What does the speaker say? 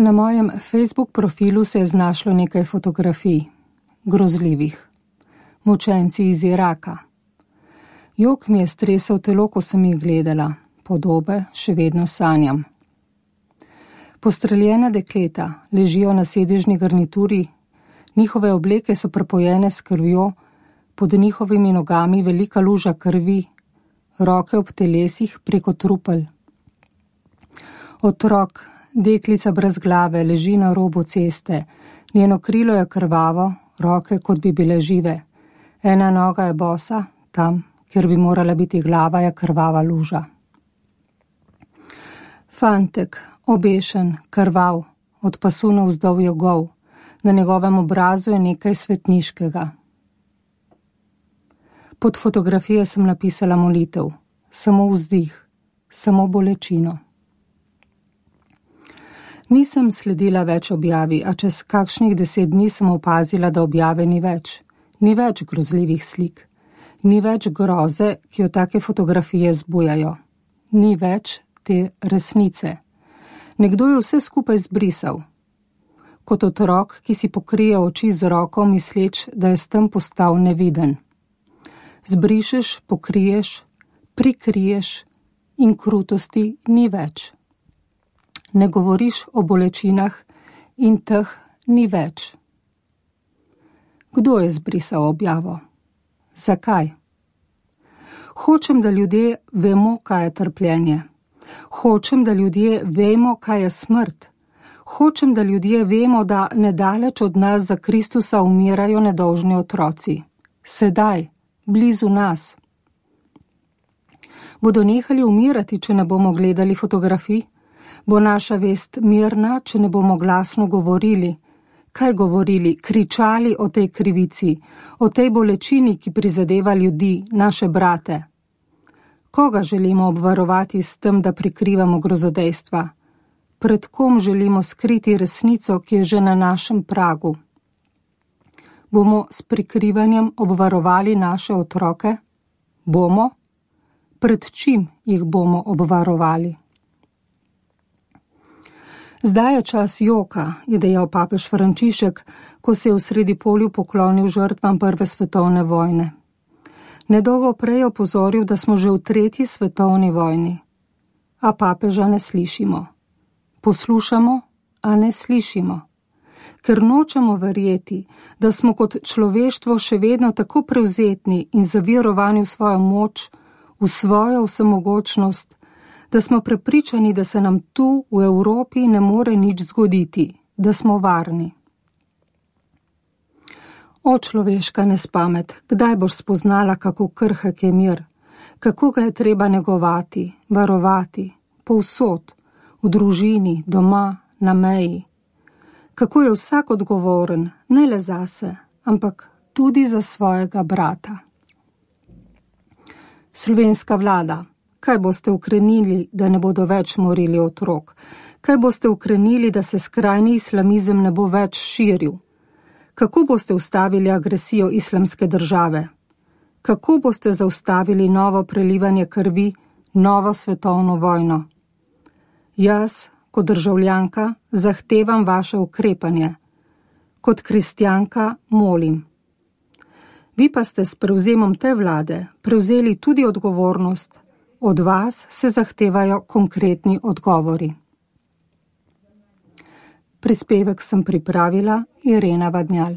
Na mojem Facebook profilu se je znašlo nekaj fotografij, grozljivih. Mučenci iz Iraka. Jok mi je stresel telo, ko sem jih gledala, podobe še vedno sanjam. Postreljena dekleta ležijo na sedežni garnituri, njihove obleke so prepojene s krvjo, pod njihovimi nogami velika luža krvi, roke ob telesih preko trupel. Otrok, deklica brez glave, leži na robu ceste, njeno krilo je krvavo, roke kot bi bile žive. Ena noga je bosa, tam, kjer bi morala biti glava, je krvava luža. Fantek, obešen, krvav, od pasu navzdol je gol, na njegovem obrazu je nekaj svetniškega. Pod fotografije sem napisala molitev, samo vzdih, samo bolečino. Nisem sledila več objavi, a čez kakšnih 10 dni sem opazila, da objave ni več. Ni več grozljivih slik. Ni več groze, ki jo take fotografije zbujajo. Ni več te resnice. Nekdo je vse skupaj zbrisal. Kot otrok, ki si pokrije oči z roko, misleč, da je s tem postal neviden. Zbrišeš, pokriješ, prikriješ in krutosti ni več. Ne govoriš o bolečinah in teh ni več. Kdo je zbrisal objavo? Zakaj? Hočem, da ljudje vemo, kaj je trpljenje. Hočem, da ljudje vemo, kaj je smrt. Hočem, da ljudje vemo, da nedaleč od nas za Kristusa umirajo nedolžni otroci. Sedaj, blizu nas. Bodo nehali umirati, če ne bomo gledali fotografij? Bo naša vest mirna, če ne bomo glasno govorili? Kaj govorili, kričali o tej krivici, o tej bolečini, ki prizadeva ljudi, naše brate? Koga želimo obvarovati s tem, da prikrivamo grozodejstva? Pred kom želimo skriti resnico, ki je že na našem pragu? Bomo s prikrivanjem obvarovali naše otroke? Bomo? Pred čim jih bomo obvarovali? Zdaj je čas joka, je dejal papež Frančišek, ko se je v Sredipolju poklonil žrtvam Prve svetovne vojne. Nedolgo prej je opozoril, da smo že v 3. svetovni vojni. A papeža ne slišimo. Poslušamo, a ne slišimo. Ker nočemo verjeti, da smo kot človeštvo še vedno tako prevzetni in zavirovani v svojo moč, v svojo vsemogočnost, da smo prepričani, da se nam tu v Evropi ne more nič zgoditi, da smo varni. O človeška nespamet, kdaj boš spoznala, kako krhek je mir, kako ga je treba negovati, varovati, povsod, v družini, doma, na meji. Kako je vsak odgovoren, ne le zase, ampak tudi za svojega brata. Slovenska vlada, kaj boste ukrenili, da ne bodo več morili otrok? Kaj boste ukrenili, da se skrajni islamizem ne bo več širil? Kako boste ustavili agresijo Islamske države? Kako boste zaustavili novo prelivanje krvi, novo svetovno vojno? Jaz, kot državljanka, zahtevam vaše ukrepanje. Kot kristjanka molim. Vi pa ste s prevzemom te vlade prevzeli tudi odgovornost. Od vas se zahtevajo konkretni odgovori. Prispevek sem pripravila Irena Vadnjal.